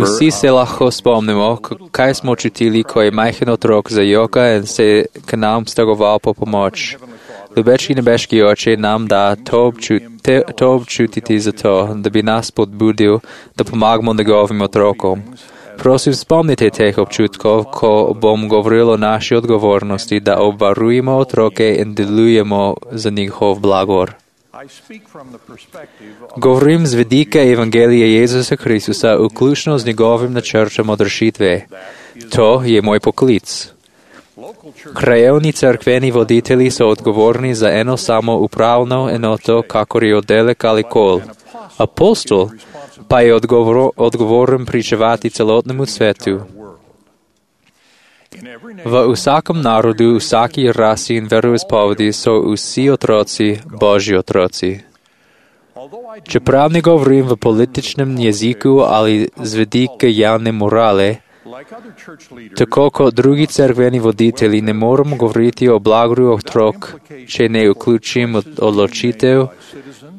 Vsi se lahko spomnimo, kaj smo čutili, ko je majhen otrok zajoka in se k nam stegoval po pomoč. Ljubeči nebeški oče nam da to občutiti zato, da bi nas podbudil, da pomagamo njegovim otrokom. Prosim, spomnite teh občutkov, ko bom govoril o naši odgovornosti, da obvarujemo otroke in delujemo za njihov blagor. Govorim z vidika Evangelija Jezusa Kristusa, vključno z njegovim načrtom odrešitve. To je moj poklic. Krajevni cerkveni voditelji so odgovorni za eno samo upravno enoto, kakor je oddelek ali kol. Apostol pa je odgovoren pričevati celotnemu svetu. V vsakem narodu, vsaki rasi in veroizpovedi so vsi otroci Božji otroci. Čeprav ne govorim v političnem jeziku ali z vidika javne morale, tako kot drugi cerkveni voditelji ne morem govoriti o blagoru otrok, če ne vključim odločitev,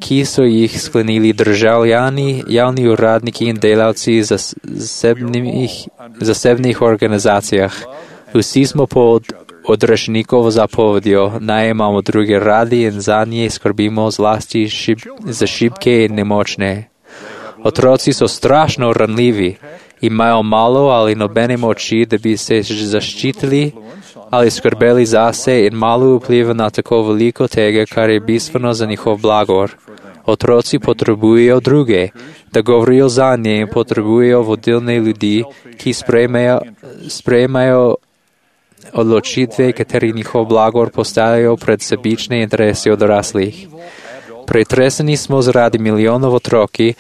ki so jih sklenili državljani, javni uradniki in delavci zasebnih organizacijah. Vsi smo pod odrešnikovo zapovedjo, naj imamo druge radi in za nje skrbimo zlasti za šibke in nemočne. Otroci so strašno ranljivi, imajo malo ali nobene moči, da bi se zaščitili ali skrbeli zase in malo vpliva na tako veliko tega, kar je bistveno za njihov blagor. Otroci potrebujejo druge, da govorijo za nje in potrebujejo vodilne ljudi, ki sprejemajo odločitve, kateri njihov blagor postavljajo pred sebične interese odraslih. Pretreseni smo zaradi milijonov otroki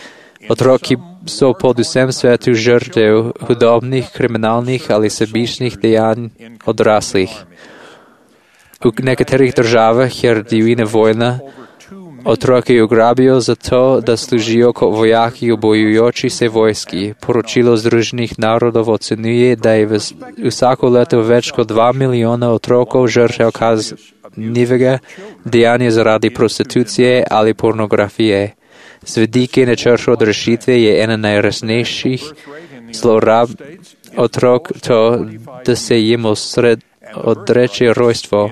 so pod vsem svetu žrtev hudobnih, kriminalnih ali sebičnih dejanj odraslih. V nekaterih državah je divjina vojna, otroke ugrabijo zato, da služijo kot vojaki v bojujoči se vojski. Poročilo Združenih narodov ocenjuje, da je vsako leto več kot 2 milijona otrokov žrtev kaznivega dejanja zaradi prostitucije ali pornografije. Z vidika načrta odrešitve je ena najresnejših zlorab otrok to, da se jim odreče rojstvo.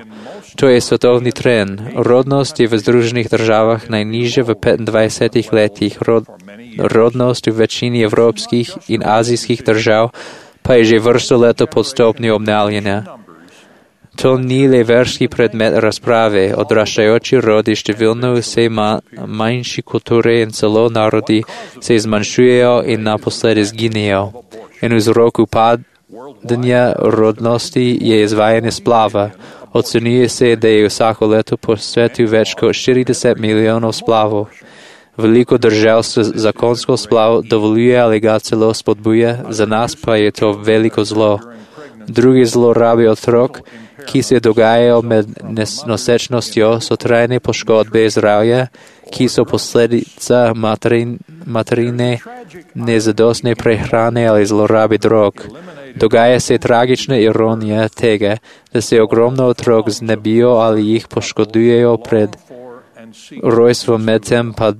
To je svetovni trend. Rodnost je v Združenih državah najnižja v 25 letih. Rodnost v večini evropskih in azijskih držav pa je že vrsto leto pod stopnjo obnavljanja. To ni le verski predmet razprave. Odraščajoči rodi številno vse manjši kulture in celo narodi se zmanjšujejo in naposled izginejo. In vzrok upadanja rodnosti je izvajanje splava. Ocenjuje se, da je vsako leto po svetu več kot 40 milijonov splavov. Veliko držav se zakonsko splav dovoljuje ali ga celo spodbuja, za nas pa je to veliko zlo. Drugi zlorabi otrok, ki se dogajajo med nosečnostjo, so trajne poškodbe zdravja, ki so posledica materine nezadostne prehrane ali zlorabi drog. Dogaja se tragična ironija tega, da se ogromno otrok znebijo ali jih poškodujejo pred rojstvom, medtem pa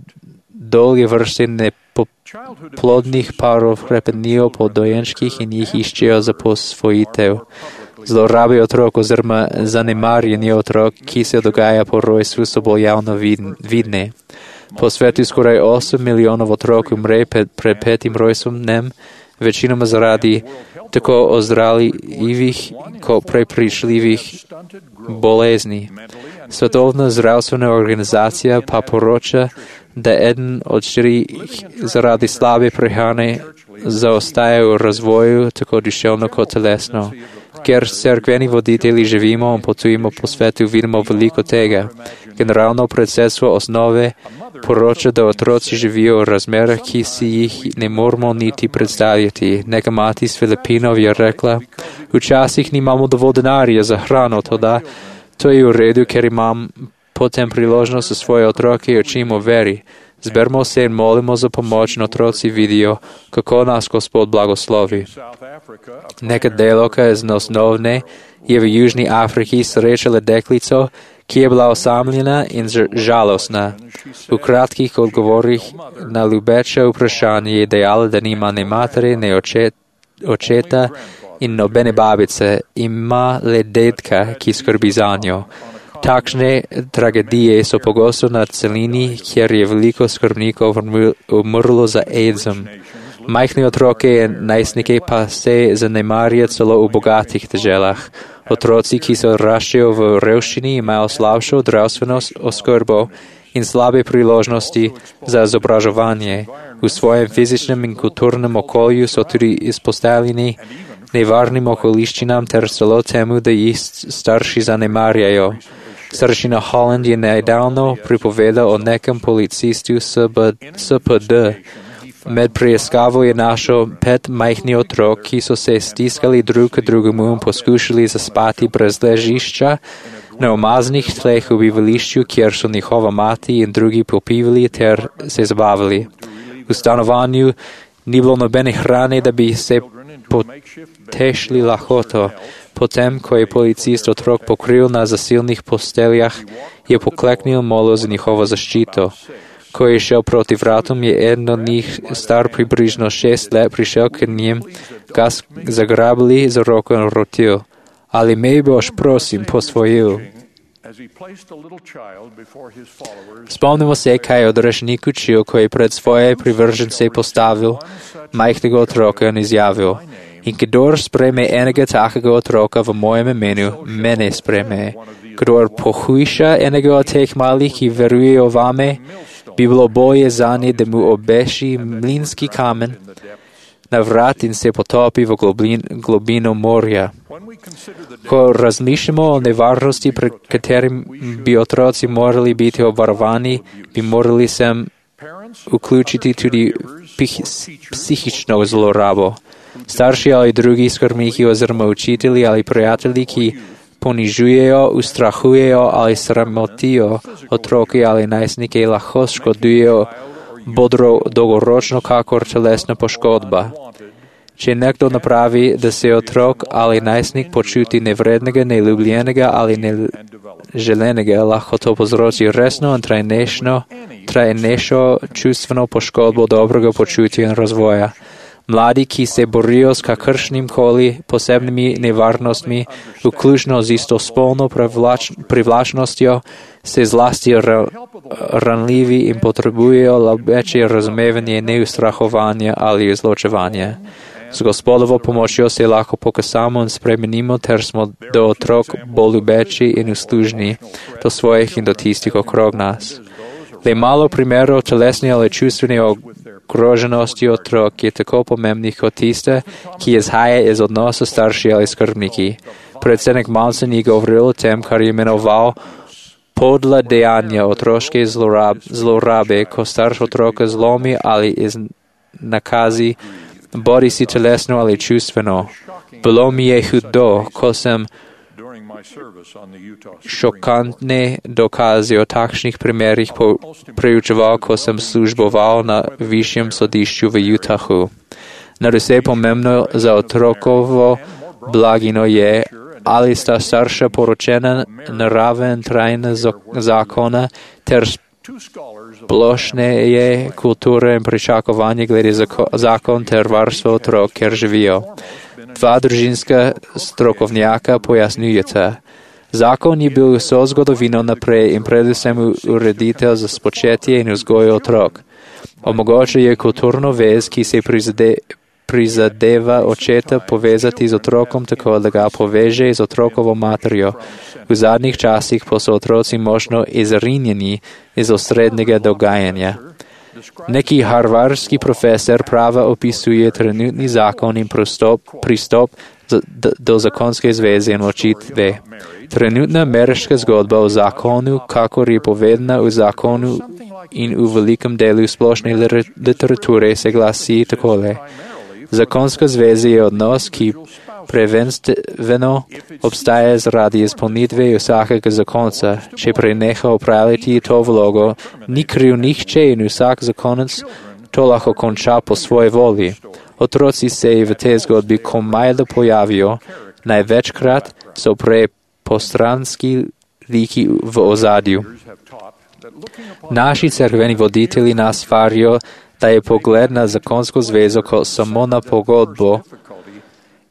dolge vrste neplodnih parov hrepenijo po dojenčkih in jih iščejo za posvojitev. Zlorabe otrok oziroma zanemarjanje otrok, ki se dogaja po rojstvu, so bolj javno vidne. Po svetu skoraj 8 milijonov otrok umre pred 5. rojstvom, večinoma zaradi tako ozdravljivih kot prepričljivih bolezni. Svetovna zdravstvena organizacija pa poroča, da 1 od 4 zaradi slabe prehrane zaostaja v razvoju, tako duševno kot telesno. Ker cerkveni voditelji živimo in potujemo po svetu, vidimo veliko tega. Generalno predsedstvo osnove poroča, da otroci živijo v razmerah, ki si jih ne moramo niti predstavljati. Neka mati iz Filipinov je rekla, včasih nimamo dovolj denarja za hrano, toda to je v redu, ker imam potem priložnost za svoje otroke učim o veri. Zbermo se in molimo za pomoć na otroci vidio kako nas Gospod blagoslovi. Neka deloka iz osnovne je v Južni Afriki srečala deklico, ki je bila osamljena in žalostna. V kratkih odgovorih na ljubeče vprašanje je dejala, da nima ne matere, ne očeta in nobene babice, ima le dedka, ki skrbi za njo. Takšne tragedije so pogosto na celini, kjer je veliko skrbnikov umrlo za AIDS-om. Majhne otroke in najstnike pa se zanemarja celo v bogatih deželah. Otroci, ki se odraščajo v revščini, imajo slabšo zdravstveno oskrbo in slabe priložnosti za izobraževanje. V svojem fizičnem in kulturnem okolju so tudi izpostavljeni nevarnim okoliščinam ter celo temu, da jih starši zanemarjajo. Staršina Holland je nedavno pripovedal o nekem policistu SPD. Med preiskavo je našel 5 majhnih otrok, ki so se stiskali drug k drugemu in poskušali zaspati brez ležišča na umaznih tleh v bivališču, kjer so njihova mati in drugi popivali ter se zabavali. V stanovanju ni bilo nobene hrane, da bi se potešili lakoto. Potem, ko je policist otrok pokril na zasilnih posteljah, je pokleknil molil za njihovo zaščito. Ko je šel proti vratom, je eden od njih, star približno 6 let, prišel k njim, ga zagrabili za roko in rotil. Ali me boš, prosim, posvojil? Spomnimo se, kaj je odrešnik učil, ko je pred svoje privržence postavil majhnega otroka in izjavil: In kdor sprejme enega takega otroka v mojem imenu, mene sprejme. Kdor pohujša enega od teh malih, ki verujejo vame, bi bilo bolje zanje, da mu obeši mlinski kamen na vrat in se potopi v globino morja. Ko razmišljamo o nevarnosti, pred katerim bi otroci morali biti obvarovani, bi morali sem vključiti tudi psihično zlorabo. Starši ali drugi skrbniki oziroma učitelji ali prijatelji, ki ponižujejo, ustrahujejo ali sramotijo otroke ali najstnike, lahko škodujejo bodro dolgoročno kakor telesna poškodba. Če nekdo napravi, da se otrok ali najstnik počuti nevrednega, neljubljenega ali neželenega, lahko to povzroči resno in trajnejšo čustveno poškodbo dobrega počutja in razvoja. Mladi, ki se borijo s kakršnim koli posebnimi nevarnostmi, vključno z istospolno privlačnostjo, se zlasti ranljivi in potrebujejo večje razumevanje, neustrahovanje ali izločevanje. Z Gospodovo pomočjo se lahko pokasamo in spremenimo, ter smo do otrok bolj ljubeči in uslužni do svojih in do tistih okrog nas. Le malo primerov telesne ali čustvene ogroženosti otrok je tako pomembnih kot tiste, ki izhaja iz odnosa starši ali skrbniki. Predsednik Manson je govoril o tem, kar je imenoval podla dejanja otroške zlorabe, ko starš otroka zlomi ali iznakazi, bodi si telesno ali čustveno. Bilo mi je hudo, ko sem šokantne dokaze o takšnih primerih preučeval, ko sem služboval na višjem sodišču v Utahu. Nadvse pomembno za otrokovo blagino je, ali sta starša poročena naraven trajna zakona ter splošneje kulture in pričakovanje glede zakon ter varstvo otrok, kjer živijo. 2 družinska strokovnjaka pojasnjujeta. Zakon je bil vso zgodovino naprej in predvsem ureditev za spočetje in vzgojo otrok. Omogoča je kulturno vez, ki se prizadeva očeta povezati z otrokom tako, da ga poveže z otrokovo materjo. V zadnjih časih pa so otroci močno izrinjeni iz osrednjega dogajanja. Neki harvardski profesor prava opisuje trenutni zakon in pristop do zakonske zveze in ločitve. Trenutna ameriška zgodba o zakonu, kakor je povedana v zakonu in v velikem delu splošne literature, se glasi takole. Zakonska zveza je odnos, ki Prvenstveno obstaja zaradi izpolnitve vsakega zakonca. Če preneha opravljati to vlogo, ni kriv nihče in vsak zakonec to lahko konča po svoji volji. Otroci se v tej zgodbi komajda pojavijo, največkrat so prej postranski liki v ozadju. Naši cerkveni voditelji nas varijo, da je pogled na zakonsko zvezo kot samo na pogodbo,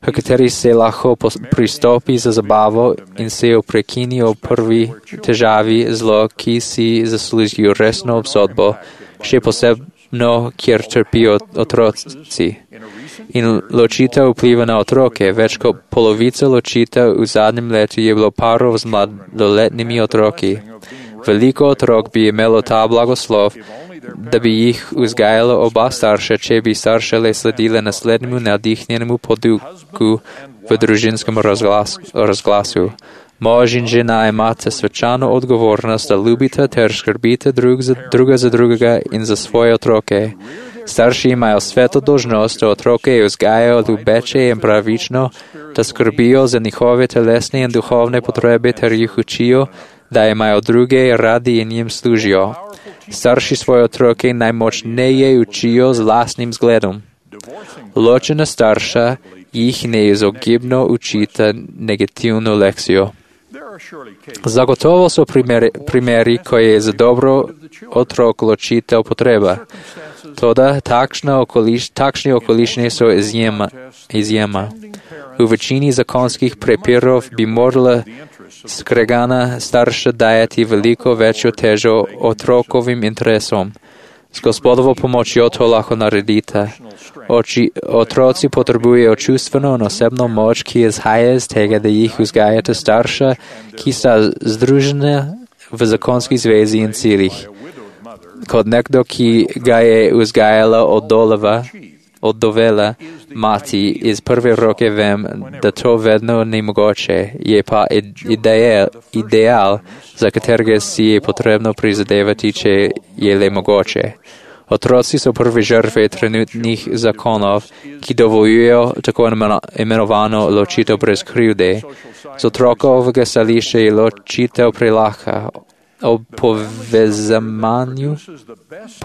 v kateri se lahko pristopi za zabavo in se jo prekinijo prvi težavi zlo, ki si zaslužijo resno obsodbo, še posebno, kjer trpijo otroci. In ločitev vpliva na otroke. Več kot polovica ločitev v zadnjem letu je bilo parov z mladoletnimi otroki. Veliko otrok bi imelo ta blagoslov, da bi jih vzgajalo oba starša, če bi starše le sledile naslednjemu navdihnjenemu poduku v družinskem razglasu. Mož in žena imate svečano odgovornost, da ljubite ter skrbite druga za drugega in za svoje otroke. Starši imajo sveto dolžnost, da otroke vzgajajo ljubeče in pravično, da skrbijo za njihove telesne in duhovne potrebe ter jih učijo, da imajo druge radi in jim služijo. Starši svoje otroke najmočneje učijo z lastnim zgledom. Ločena starša jih neizogibno učita negativno lekcijo. Zagotovo so primeri, ko je za dobro otrok ločitev potreba. Toda takšne okoliščine so izjema. V večini zakonskih prepirov bi morala skregana starša dajati veliko večjo težo otrokovim interesom. S Gospodovo pomočjo to lahko naredite. Otroci potrebujejo čustveno in osebno moč, ki izhaja iz tega, da jih vzgajate starša, ki sta združena v zakonski zvezi in ciljih. Kot nekdo, ki ga je vzgajala odovela mati, iz prve roke vem, da to vedno ni mogoče, je pa ideal, za katerega si je potrebno prizadevati, če je le mogoče. Otroci so prve žrtve trenutnih zakonov, ki dovoljujejo tako imenovano ločitev brez krivde. Z otrokovega stališča je ločitev prelahka. Ob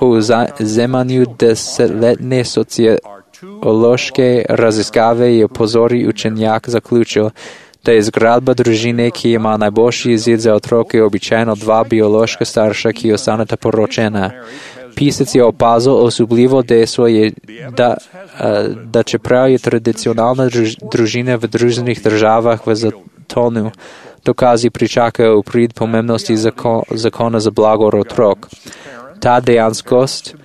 povzemanju desetletne sociološke raziskave je pozori učenjak zaključil, da je zgradba družine, ki ima najboljši izid za otroke, običajno dva biološka starša, ki ostaneta poročena. Pisec je opazil osupljivo dejstvo, da čeprav je tradicionalna družina v Združenih državah v zatonu, dokazi pričakajo v prid pomembnosti zakona za blagor otrok. Ta dejanskost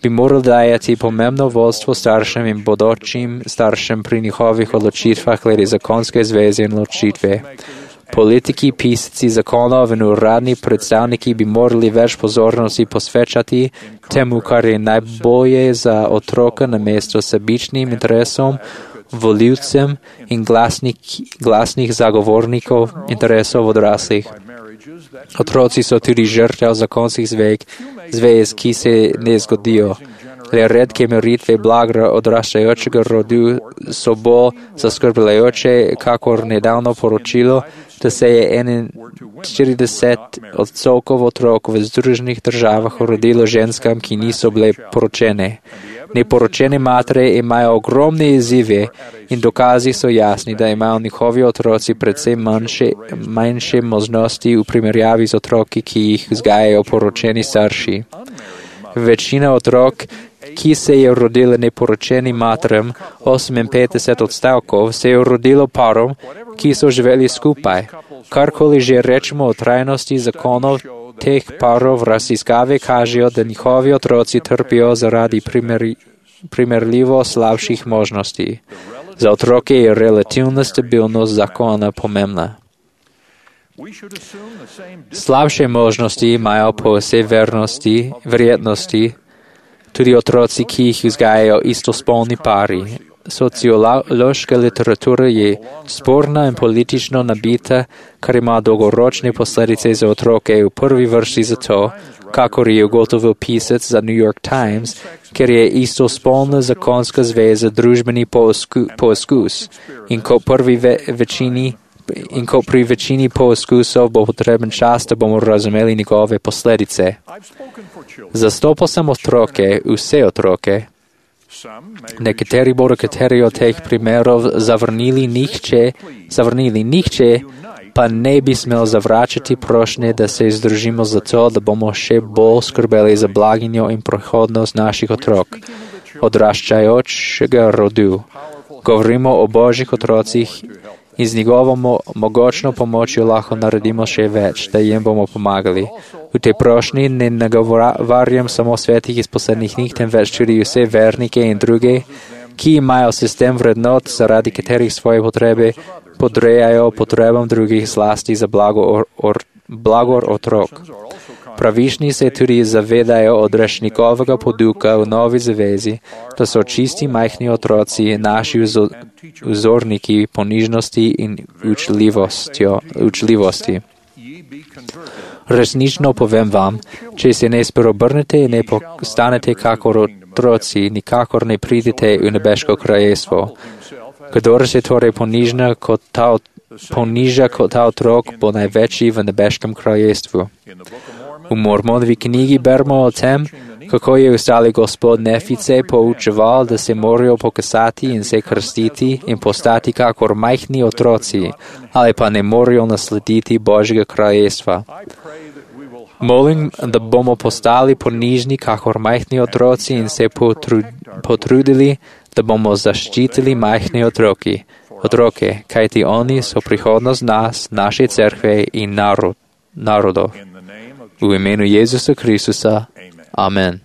bi moral dajati pomembno vodstvo staršem in bodočim staršem pri njihovih odločitvah glede zakonske zveze in ločitve. Politiki, pisci zakonov in uradni predstavniki bi morali več pozornosti posvečati temu, kar je najbolje za otroka namesto sebičnim interesom, voljivcem in glasnih zagovornikov interesov odraslih. Otroci so tudi žrtev zakonskih zvez, ki se ne zgodijo. Le redke meritve blaga odraščajočega rodu so bolj zaskrbljujoče, kakor nedavno poročilo, da se je 41% otrok v Združenih državah rodilo ženskam, ki niso bile poročene. Neporočene matere imajo ogromne izzive in dokazi so jasni, da imajo njihovi otroci predvsem manjše možnosti v primerjavi z otroki, ki jih vzgajajo poročeni starši. Večina otrok, ki se je rodila neporočenim materam, 58%, se je rodilo parom, ki so živeli skupaj. Karkoli že rečemo o trajnosti zakonov teh parov, raziskave kažejo, da njihovi otroci trpijo zaradi primerljivo slabših možnosti. Za otroke je relativna stabilnost zakona pomembna. Slabše možnosti imajo po vsej verjetnosti tudi otroci, ki jih vzgajajo istospolni pari. Sociološka literatura je sporna in politično nabita, kar ima dolgoročne posledice za otroke v prvi vrsti zato, kakor je ugotovil pisec za New York Times, ker je istospolna zakonska zveza družbeni poizkus in ko pri večini poizkusov bo potreben čas, da bomo razumeli njegove posledice. Zastopal sem otroke, vse otroke. Nekateri bodo kateri od teh primerov zavrnili, nihče pa ne bi smel zavračati prošnje, da se združimo zato, da bomo še bolj skrbeli za blaginjo in prihodnost naših otrok, odraščajočega rodu. Govorimo o Božjih otrocih in z njegovo mogočno pomočjo lahko naredimo še več, da jim bomo pomagali. V tej prošnji ne nagovarjam samo svetih iz poslednjih dni, temveč tudi vse vernike in druge, ki imajo sistem vrednot, zaradi katerih svoje potrebe podrejajo potrebam drugih, zlasti za blagor otrok. Pravični se tudi zavedajo odrešnikovega poduka v novi zavezi, da so čisti majhni otroci naši vzorniki ponižnosti in učljivosti. Resnično povem vam, če se ne spreobrnete in ne postanete kakor otroci, nikakor ne pridete v nebeško kraljestvo. Kdor se torej poniža kot ta otrok, bo največji v nebeškem kraljestvu. V Mormonovi knjigi beremo o tem, kako je ustali gospod Nefice poučeval, da se morajo pokasati in se krstiti in postati kakor majhni otroci, ali pa ne morajo naslediti Božjega kraljestva. Molim, da bomo postali ponižni kakor majhni otroci in se potrudili, da bomo zaščitili majhne otroke, kajti oni so prihodnost nas, naše cerkve in narodov. V imenu Jezusa Kristusa. Amen.